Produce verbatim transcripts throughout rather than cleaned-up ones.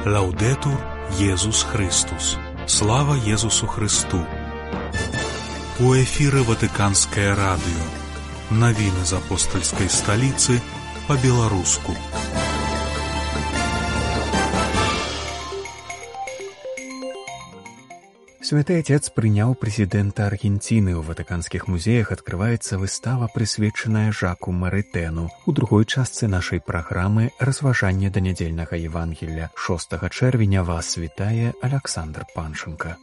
Лаўдэтур Езус Христус. Слава Езусу Христу. У эфіры Ватыканскае радыё. Навіны з апостальскай сталіцы па-беларуску. Святы Отец прыняў прэзідэнта Аргенціны. У ватыканскіх музеях адкрываецца выстава, прысвечаная Жаку Марытэну. У другой частцы нашай праграмы разважанне да нядзельнага Евангелля. шостага чэрвеня вас вітае Аляксандр Панченка.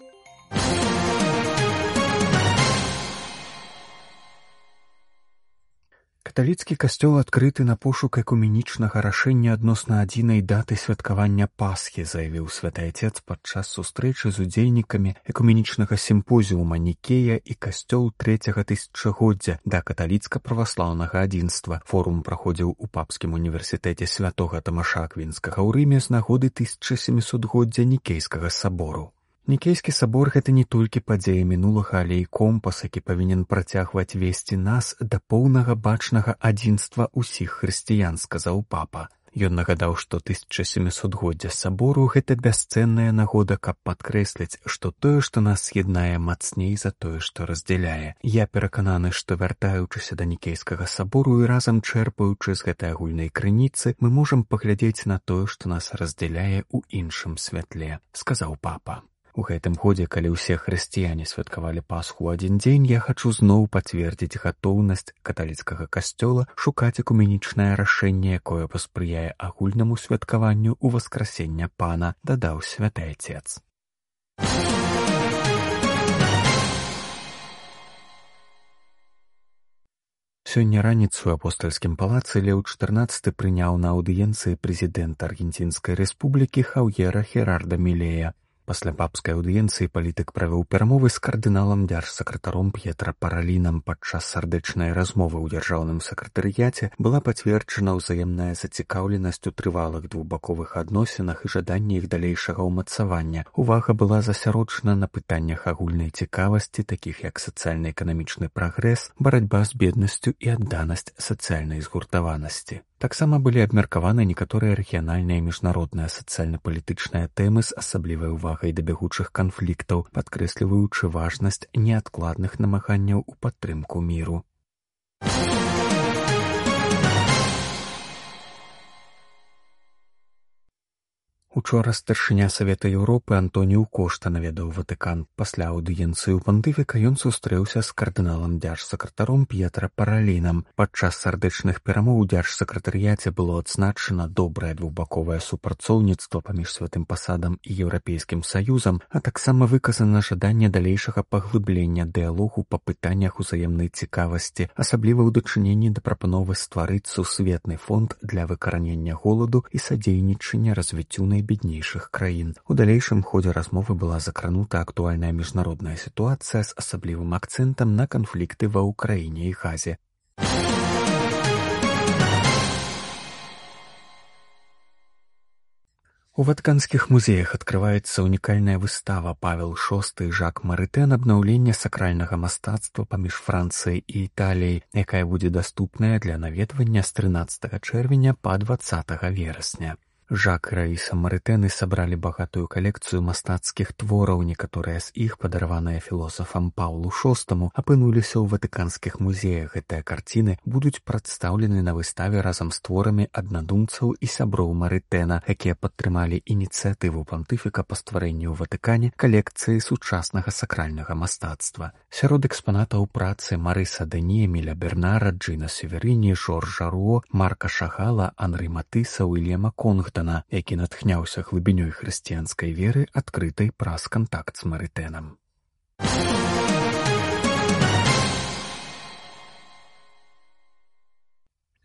Каталіцкі касцёл адкрыты на пошук экуменічнага рашэння адносна адзінай даты святкавання Пасхі, заявіў святы Отец падчас сустрэчы з удзельнікамі экуменічнага сімпозіума Нікея і касцёл трэцяга тысячагоддзя да каталіцка-праваслаўнага адзінства. Форум праходзіў у папскім універсітэце святога Тамаша Аквінскага ў Рыме з нагоды тысяча сямісотгоддзя Нікейскага сабору. Нікейскі сабор — гэта не толькі падзея мінулага, але і компас, які павінен працягваць весці нас да поўнага бачнага адзінства ўсіх хрысціян, сказаў папа. Ён нагадаў, што тысяча сямісотгоддзя сабору — гэта бясцэнная нагода, каб падкрэсліць, што тое, што нас з'яднае, мацней за тое, што раздзяляе. Я перакананы, што вяртаючыся да Нікейскага сабору і разам чэрпаючы з гэтай агульнай крыніцы, мы можам паглядзець на тое, што нас раздзяляе ў іншым святле, сказаў папа. У гэтым годзе, калі ўсе хрысціяне святкавалі Пасху ў адзін дзень, я хачу зноў пацвердзіць гатоўнасць каталіцкага касцёла шукаць экуменічнае рашэнне, якое паспрыяе агульнаму святкаванню ў васкрасення Пана, дадаў святы Отец. Сёння раніцу ў апостальскім палацы Леў чатырнаццаты прыняў на аўдыенцыі прэзідэнта Аргенцінскай рэспублікі Хаўера Херарда Мілея. Пасля папскай аўдыенцыі палітык правёў перамовы з кардыналам дзяржсакратаром П'етра Паралінам. Падчас сардэчнай размовы ў дзяржаўным сакратарыяце была пацверджана ўзаемная зацікаўленасць у трывалых двухбаковых адносінах і жаданне іх далейшага ўмацавання. Увага была засяроджана на пытаннях агульнай цікавасці, такіх як сацыяльна-эканамічны прагрэс, барацьба з беднасцю і адданасць сацыяльнай згуртаванасці. Таксама былі абмеркаваны некаторыя рэгіянальныя і міжнародныя сацыяльна-палітычныя тэмы з асаблівай увагай да бягучых канфліктаў, падкрэсліваючы важнасць неадкладных намаганняў у падтрымку міру. Учора старшыня Савета Еўропы Антоніў Кошта наведаў Ватыкан. Пасля аўдыенцыі ў пантыфіка ён сустрэўся з кардыналам дзяржсакратаром П'етра Паралінам. Падчас сардэчных перамоў у дзяржсакратарыяце было адзначана добрае двухбаковае супрацоўніцтва паміж святым пасадам і Еўрапейскім саюзам, а таксама выказана жаданне далейшага паглыблення дыялогу па пытаннях узаемнай цікавасці, асабліва ў дачыненні да прапановы стварыць сусветны фонд для выкаранення голаду і садзейнічання развіццю найбеднейшых краін. У далейшым ходзе размовы была закранута актуальная міжнародная сітуацыя з асаблівым акцэнтам на канфлікты ва Ўкраіне і Газе. У ватыканскіх музеях адкрываецца унікальная выстава «Павел шосты. Жак Марытэн. Абнаўленне сакральнага мастацтва паміж Францыяй і Італіяй», якая будзе даступная для наведвання з трынаццатага чэрвеня па дваццатага верасня. Жак і Раіса Марытэны сабралі багатую калекцыю мастацкіх твораў. Некаторыя з іх, падараваныя філосафам Паўлу шостаму, апынуліся ў ватыканскіх музеях. Гэтыя карціны будуць прадстаўлены на выставе разам з творамі аднадумцаў і сяброў Марытэна, якія падтрымалі ініцыятыву пантыфіка па стварэнні ў Ватыкане калекцыі сучаснага сакральнага мастацтва. Сярод экспанатаў працы Марыса Дэнье, Эміля Бернара, Джина Северіні, Жоржа Руо, Марка Шагала, Анры Матыса, Уільяма Конгдана, які натхняўся глыбінёй хрысціянскай веры, адкрытай праз кантакт з Марытэнам.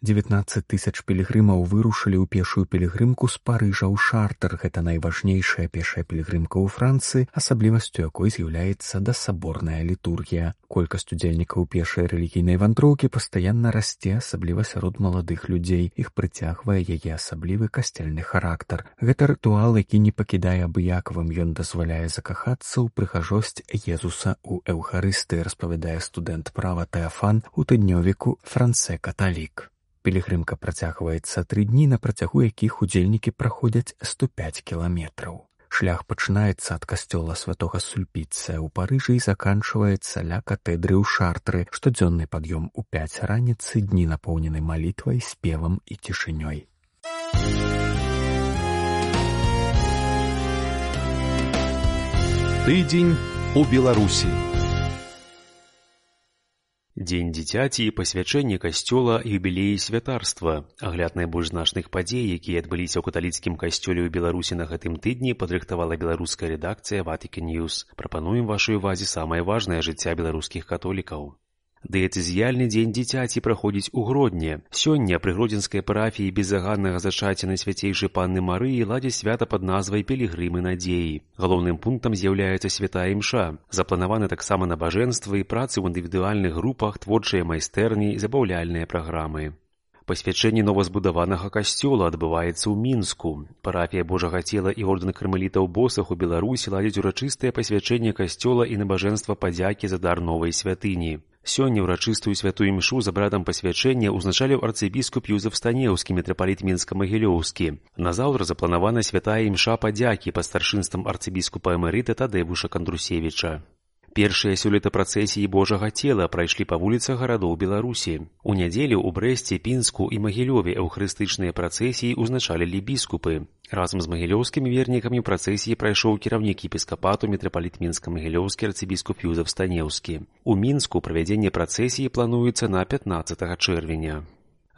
дзевятнаццаць тысяч пілігрымаў вырушылі ў пешую пілігрымку з Парыжа ў Шартер. Гэта найважнейшая пешая пілігрымка ў Францыі, асаблівасцю якой з'яўляецца дасаборная літургія. Колькасць удзельнікаў пешай рэлігійнай вандроўкі пастаянна расце, асабліва сярод маладых людзей. Іх прыцягвае яе асаблівы касцельны характар. Гэта рытуал, які не пакідае абыякавым. Ён дазваляе закахацца ў прыгажосць Езуса ў Эўхарыстыі, распавядае студэнт права Тэафан у тыднёвіку «Францэ каталік». Пілігрымка працягваецца тры дні, на працягу якіх удзельнікі праходзяць сто пяць кіламетраў. Шлях пачынаецца ад касцёла святога Сульпіцыя ў Парыжы і заканчваецца ля катэдры ў Шартры. Штодзённы пад'ём у пяць раніцы, дні напоўнены малітвай, спевам і цішынёй. Тыдзень у Беларусі. Дзень дзіцяці і пасвячэнне касцёла, юбілеі святарства. Агляд найбольш значных падзей, якія адбыліся ў каталіцкім касцёле ў Беларусі на гэтым тыдні, падрыхтавала беларуская рэдакцыя Vatican News. Прапануем вашай увазе самае важнае жыцця беларускіх католікаў. Дыяцэзіяльны дзень дзіцяці праходзіць у Гродні. Сёння пры гродзенскай парафіі безаганнага зачацця Найсвяцейшай Панны Марыі ладзяць свята пад назвай «Пілігрымы надзеі». Галоўным пунктам з'яўляецца святая імша. Запланаваны таксама набажэнствы і працы ў індывідуальных групах, творчыя майстэрні і забаўляльныя праграмы. Пасвячэнне новазбудаванага касцёла адбываецца ў Мінску. Парафія Божага цела і ордэн кармелітаў босых у Беларусі ладзяць урачыстае пасвячэнне касцёла і набажэнства падзякі за дар новай святыні. Сёння ўрачыстую святую імшу з абрадам пасвячэння ўзначаліў арцыбіскуп Юзеф Станеўскі, мітрапаліт Мінска-Магілёўскі. Назаўтра запланавана святая імша падзякі пад старшынствам арцыбіскупа эмерыта Тадзеуша Кандрусевіча. Першыя сёлета працэсіі Божага цела прайшлі па вуліцах гарадоў Беларусі. У нядзелю ў Брэсце, Пінску і Магілёве эўхарыстычныя працэсіі ўзначалілі біскупы. Разам з магілёўскімі вернікамі працэсіі прайшоў кіраўнік епіскапату мітрапаліт Мінска-Магілёўскі арцыбіскуп Юзеф Станеўскі. У Мінску правядзенне працэсіі плануецца на пятнаццатага чэрвеня.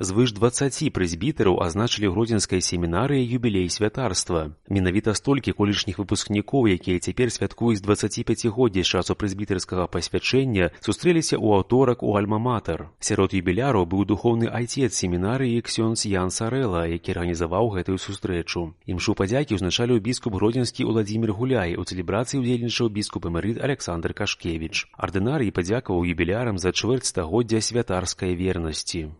Звыш дваццаці прэзбітэраў азначылі гродзенскай семінарыі юбілей святарства. Менавіта столькі колішніх выпускнікоў, якія цяпер святкуюць дваццаціпяцігоддзе з часу прэзбітэрскага пасвячэння, сустрэліся ў аўторак у Альма-Матэр. Сярод юбіляраў быў духоўны айцец семінарыі ксёндз Ян Сарэла, які арганізаваў гэтую сустрэчу. Імшу падзякі ўзначаліў біскуп гродзенскі Уладзімір Гуляй, у цэлебрацыі ўдзельнічаў біскуп эмерыт Аляксандр Кашкевіч. Ардынарый падзякаваў юбілярам за чвэрць стагоддзя святарскай вернасці.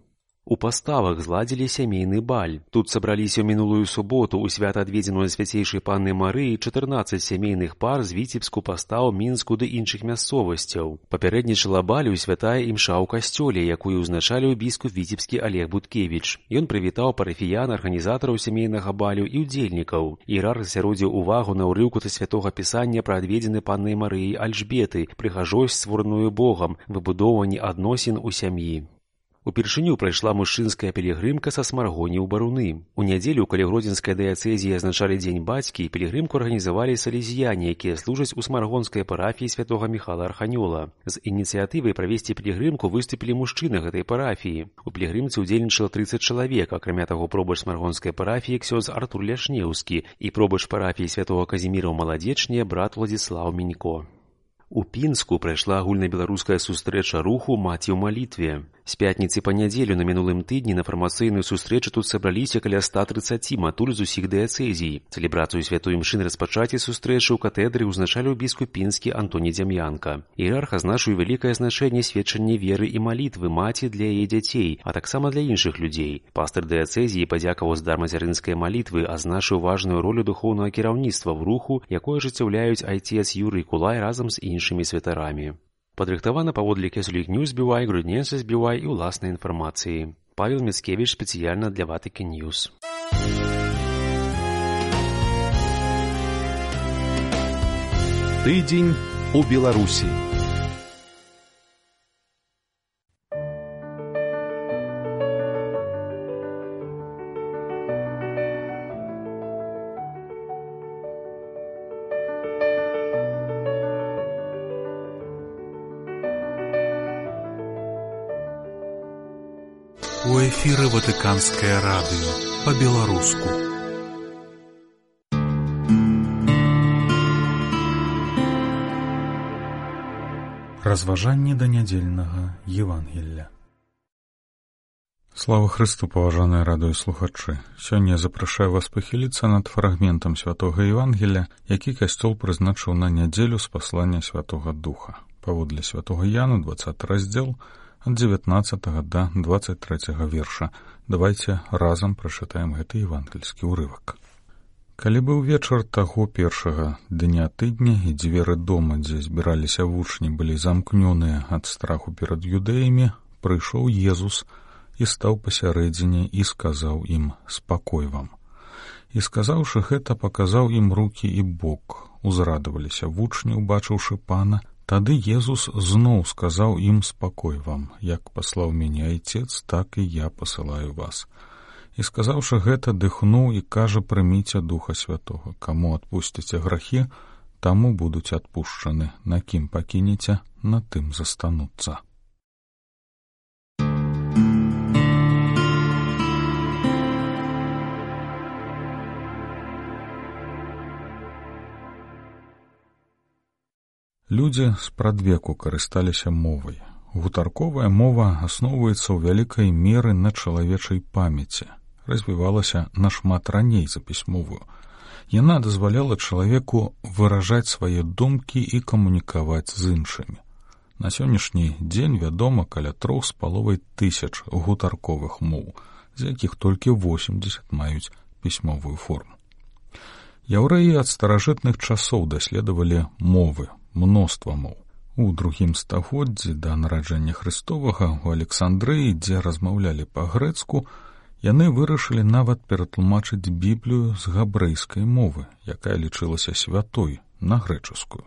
У паставах зладзілі сямейны баль. Тут сабраліся ў мінулую суботу ў свята адведзеную Найсвяцейшай Панны Марыі чатырнаццаць сямейных пар з Віцебску, Пастаў, Мінску ды іншых мясцовасцяў. Папярэднічала балю святая імша ў касцёле, якую ўзначаліў біскуп віцебскі Алег Буткевіч. Ён прывітаў парафіян, арганізатараў сямейнага балю і ўдзельнікаў. Іерарх засяродзіў увагу на ўрыўку са святога пісання пра адведзены Паннай Марыяй Альжбеты, прыгажосць, створаную Богам, выбудоўванне адносін у сям'і. Упершыню прайшла мужчынская пілігрымка са Смаргоні ў Баруны. У нядзелю, калі гродзенскай дыяцэзіі азначалі дзень бацькі, пілігрымку арганізавалі салезіяне, якія служаць у смаргонскай парафіі святога Міхала Арханёла. З ініцыятывай правесці пілігрымку выступілі мужчыны гэтай парафіі. У пілігрымцы ўдзельнічала трыццаць чалавек, акрамя таго пробач смаргонскай парафіі ксёндз Артур Ляшнеўскі і пробач парафіі святога Казіміра ў Маладзечні брат Владзіслаў Мінько. У Пінску прайшла агульнабеларуская сустрэча руху «Маці ў малітве». З пятніцы па нядзелю на мінулым тыдні на фармацыйную сустрэчу тут сабраліся каля ста трыццаці матуль з усіх дыяцэзій. Цэлебрацыю святой імшы на распачаці сустрэчы ў катедры ўзначаліў біскуп пінскі Антоній Дзям'янка. Іерарх азначыў вялікае значэнне сведчання веры і малітвы маці для яе дзяцей, а таксама для іншых людзей. Пастыр дыяцэзіі падзякаваў з дар мацярынскай малітвы, азначыў важную ролю духоўнага кіраўніцтва ў руху, якое ажыццяўляюць айцец Юрый Кулай разам з іншымі святарамі. Падрыхтавана паводле Catholic News би вай, Grodniensis би вай і ўласнай інфармацыі. Павел Міцкевіч спецыяльна для Vatican News. Тыдзень у Беларусі. У эфіры Ватыканскае радыё па-беларуску. Разважанне да нядзельнага Евангелля. Слава Хрысту, паважаныя радыёслухачы! Сёння запрашаю вас пахіліцца над фрагментам святога Евангелля, які касцёл прызначыў на нядзелю з паслання Святога Духа. Паводле святога Яна, дваццаты раздзел, ад дзевятнаццатага да дваццаць трэцяга верша. Давайце разам прачытаем гэты евангельскі ўрывак. Калі быў вечар таго першага дня тыдня, і дзверы дома, дзе збіраліся вучні, былі замкнёныя ад страху перад юдэямі, прыйшоў Езус і і стаў пасярэдзіне і сказаў ім: «Спакой вам». І сказаўшы гэта, паказаў ім рукі і бок. Узрадаваліся вучні, убачыўшы пана. Тады Езус зноў сказаў ім: «Спакой вам, як паслаў мяне Айцец, так і я пасылаю вас». І сказаўшы гэта, дыхнуў і кажа: «Прыміце Духа Святога. Каму адпусціце грахі, таму будуць адпушчаны, на кім пакінеце, на тым застануцца». Людзі спрадвеку карысталіся мовай. Гутарковая мова асноўваецца ў вялікай меры на чалавечай памяці, развівалася нашмат раней за пісьмовую. Яна дазваляла чалавеку выражаць свае думкі і камунікаваць з іншымі. На сённяшні дзень вядома каля трох з паловай тысяч гутарковых моў, з якіх толькі восемдзесят маюць пісьмовую форму. Яўрэі ад старажытных часоў даследавалі мовы, мноства моў. У другім стагоддзі да нараджэння Хрыстовага ў Александрыі, дзе размаўлялі па-грэцку, яны вырашылі нават ператлумачыць Біблію з габрэйскай мовы, якая лічылася святой, на грэчаскую.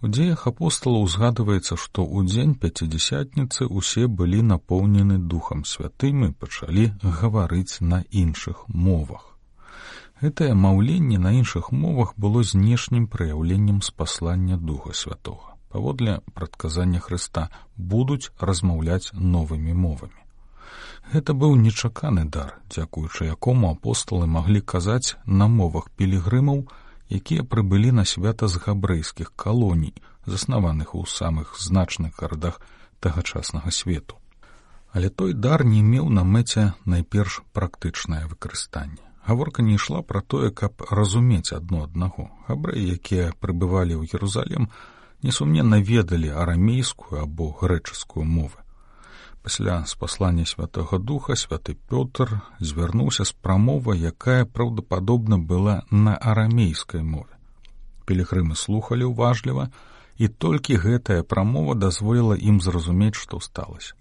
У дзеях апосталаў узгадваецца, што ў дзень пяцідзясятніцы ўсе былі напоўнены Духам Святым і пачалі гаварыць на іншых мовах. Гэтае маўленне на іншых мовах было знешнім праяўленнем спаслання Духа Святога. Паводле прадказання Хрыста будуць размаўляць новымі мовамі. Гэта быў нечаканы дар, дзякуючы якому апосталы маглі казаць на мовах пілігрымаў, якія прыбылі на свята з габрэйскіх калоній, заснаваных у самых значных гарадах тагачаснага свету. Але той дар не меў на мэце найперш практычнае выкарыстанне. Гаворка не ішла пра тое, каб разумець адно аднаго. Габрэі, якія прыбывалі ў Єрусалім, несумненна ведалі арамейскую або грэчаскую мовы. Пасля спаслання Святога Духа святы Пётр звярнуўся з прамовай, якая праўдападобна была на арамейскай мове. Пілігрымы слухалі ўважліва, і толькі гэтая прамова дазволіла ім зразумець, што сталася.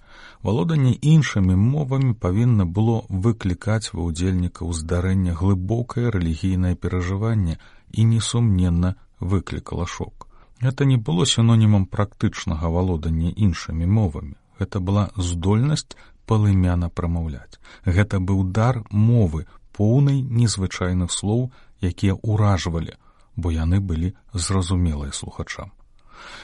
Валоданне іншымі мовамі павінна было выклікаць ва ўдзельнікаў здарэння глыбокае рэлігійнае перажыванне і несумненна выклікала шок. Гэта не было сінонімам практычнага валодання іншымі мовамі. Гэта была здольнасць палымяна прамаўляць. Гэта быў дар мовы, поўнай незвычайных слоў, якія ўражвалі, бо яны былі зразумелыя слухачам.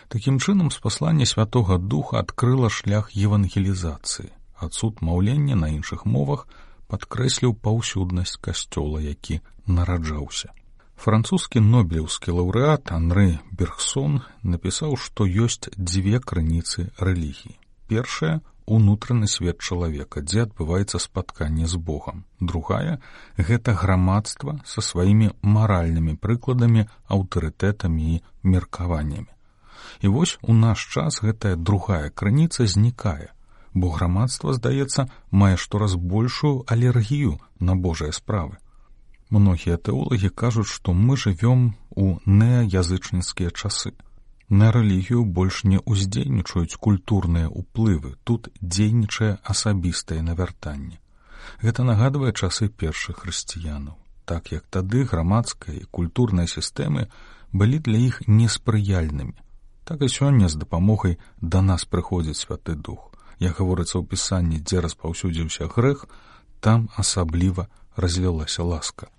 Такім чынам, спасланне Святога Духа адкрыла шлях евангелізацыі. Адсуд маўлення на іншых мовах падкрэсліў паўсюднасць касцёла, які нараджаўся. Французскі нобелеўскі лаўрэат Анры Бергсон напісаў, што ёсць дзве крыніцы рэлігіі. Першая — унутраны свет чалавека, дзе адбываецца спатканне з Богам. Другая — гэта грамадства са сваімі маральнымі прыкладамі, аўтарытэтамі і меркаваннямі. І вось у наш час гэтая другая крыніца знікае, бо грамадства, здаецца, мае штораз большую алергію на Божыя справы. Многія тэолагі кажуць, што мы жывём у неаязычніцкія часы. На рэлігію больш не ўздзейнічаюць культурныя ўплывы, тут дзейнічае асабістае навяртанне. Гэта нагадвае часы першых хрысціянаў. Так як тады грамадская і культурныя сістэмы былі для іх неспрыяльнымі, так і сёння з дапамогай да нас прыходзіць Святы Дух. Як гаворыцца ў Пісанні, дзе распаўсюдзіўся грэх, там асабліва развілася ласка.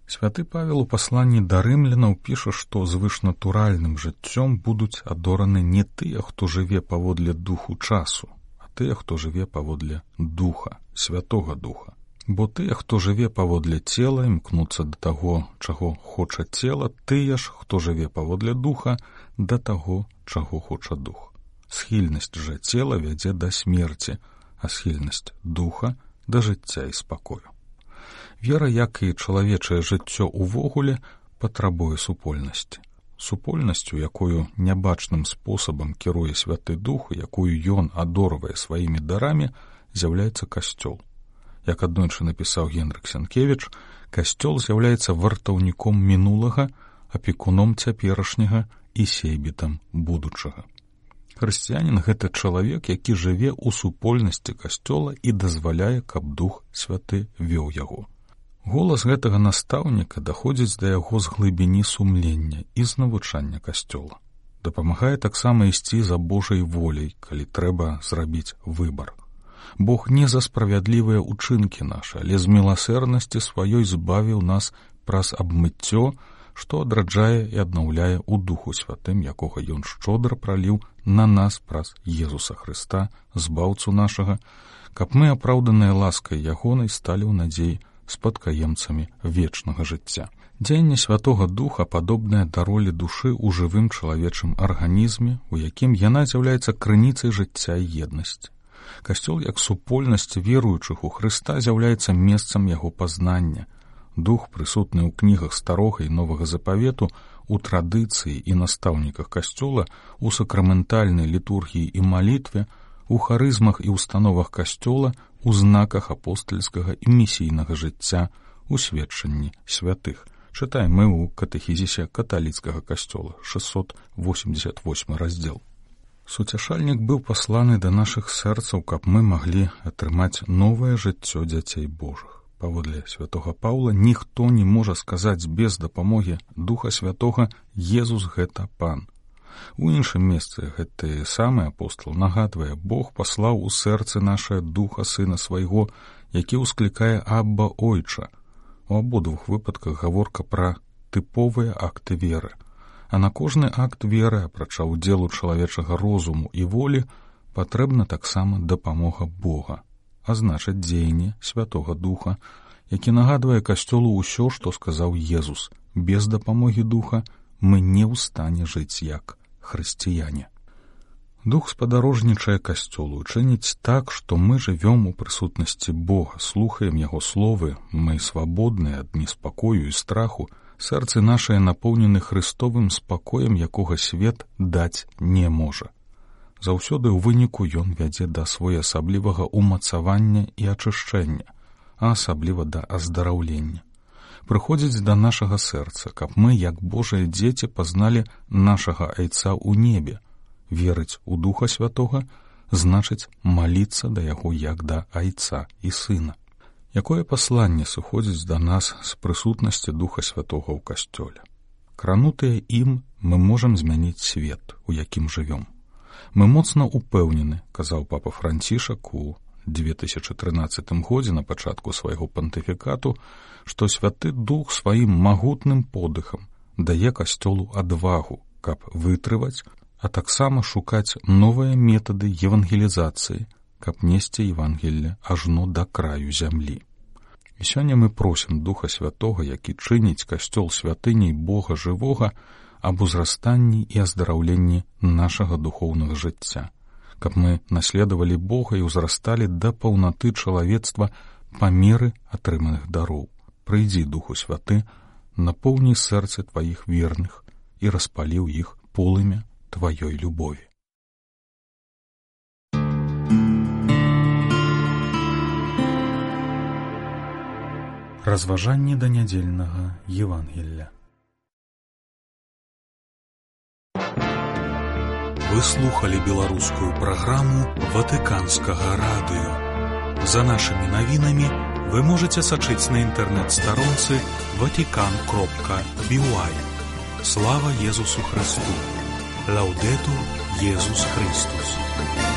Святы Павел у пасланні да рымлянаў піша, што звышнатуральным жыццём будуць адораны не тыя, хто жыве паводле духу часу, а тыя, хто жыве паводле духа, Святога Духа. Бо тыя, хто жыве паводле цела, імкнуцца да таго, чаго хоча цела, тыя ж, хто жыве паводле духа, да таго, чаго хоча дух. Схільнасць жа цела вядзе да смерці, а схільнасць духа да жыцця і спакою. Вера, як і чалавечае жыццё ўвогуле, патрабуе супольнасці. Супольнасцю, якую нябачным спосабам кіруе Святы Дух, якую ён адорвае сваімі дарамі, з'яўляецца касцёл. Як аднойчы напісаў Генрык Сянкевіч, касцёл з'яўляецца вартаўніком мінулага, апекуном цяперашняга і сейбітам будучага. Хрысціянін — гэта чалавек, які жыве ў супольнасці касцёла і дазваляе, каб Дух Святы вёў яго. Голас гэтага настаўніка даходзіць да яго з глыбіні сумлення і з навучання касцёла. Дапамагае таксама ісці за Божай воляй, калі трэба зрабіць выбар. Бог не за справядлівыя ўчынкі нашы, але з міласэрнасці сваёй збавіў нас праз абмыццё, што адраджае і аднаўляе ў Духу Святым, якога Ён шчодра праліў на нас праз Езуса Хрыста, збаўцу нашага, каб мы, апраўданыя ласкай ягонай, сталі ў надзеі спадкаемцамі вечнага жыцця. Дзеянне Святога Духа падобнае да ролі душы ў жывым чалавечым арганізме, у якім яна з'яўляецца крыніцай жыцця і еднасці. Касцёл, як супольнасць веруючых у Хрыста, з'яўляецца месцам яго пазнання. Дух, прысутны ў кнігах Старога і Новага Запавету, у традыцыі і настаўніках касцёла, у сакраментальнай літургіі і малітве, у харызмах і установах касцёла, у знаках апостальскага і місійнага жыцця, у сведчанні святых. Чытаем мы ў катэхізісе каталіцкага касцёла, шэсцьсот восемьдесят восьмы раздзел. Суцяшальнік быў пасланы да нашых сэрцаў, каб мы маглі атрымаць новае жыццё дзяцей Божых. Паводле святога Паўла, ніхто не можа сказаць без дапамогі Духа Святога «Езус — гэта Пан». У іншым месцы гэты самы апостол нагадвае: Бог паслаў у сэрцы нашае Духа Сына Свайго, які ўсклікае «Абба, Ойча». У абодвух выпадках гаворка пра тыповыя акты веры. А на кожны акт веры, апрача ўдзелу чалавечага розуму і волі, патрэбна таксама дапамога Бога, а значыць дзеянне Святога Духа, які нагадвае касцёлу ўсё, што сказаў Езус: без дапамогі Духа мы не ў стане жыць як хрысціяне. Дух спадарожнічае касцёлу, чыніць так, што мы жывём у прысутнасці Бога, слухаем Яго словы, мы свабодныя ад неспакою і страху, сэрцы нашыя напоўнены Хрыстовым спакоем, якога свет даць не можа. Заўсёды ў выніку ён вядзе да своеасаблівага ўмацавання і ачышчэння, а асабліва да аздараўлення. Прыходзіць да нашага сэрца, каб мы, як Божыя дзеці, пазналі нашага Айца ў небе. Верыць у Духа Святога значыць маліцца да яго як да Айца і Сына. Якое пасланне сыходзіць да нас з прысутнасці Духа Святога ў касцёле? Кранутыя ім, мы можам змяніць свет, у якім жывём. Мы моцна упэўнены, казаў папа Францішак у две тысячы трынаццатым годзе на пачатку свайго пантыфікату, што Святы Дух сваім магутным подыхам дае касцёлу адвагу, каб вытрываць, а таксама шукаць новыя метады евангелізацыі, каб несці Евангелле ажно да краю зямлі. І сёння мы просім Духа Святога, які чыніць касцёл святыняй Бога жывога, аб узрастанні і аздараўленні нашага духоўнага жыцця, каб мы наследавалі Бога і ўзрасталі да паўнаты чалавецтва па меры атрыманых дароў. Прыйдзі, Духу Святы, напоўні сэрцы тваіх верных і распалі ў іх полымя тваёй любові. Разважанні да нядзельнага Евангелля. Вы слухали беларускую праграму Ватыканскага радыё. За нашымі навінамі вы можаце сачыць на інтэрнэт-старонцы ватикан кропка би уай. Слава Езусу Христу! Лаудетур Езус Христус!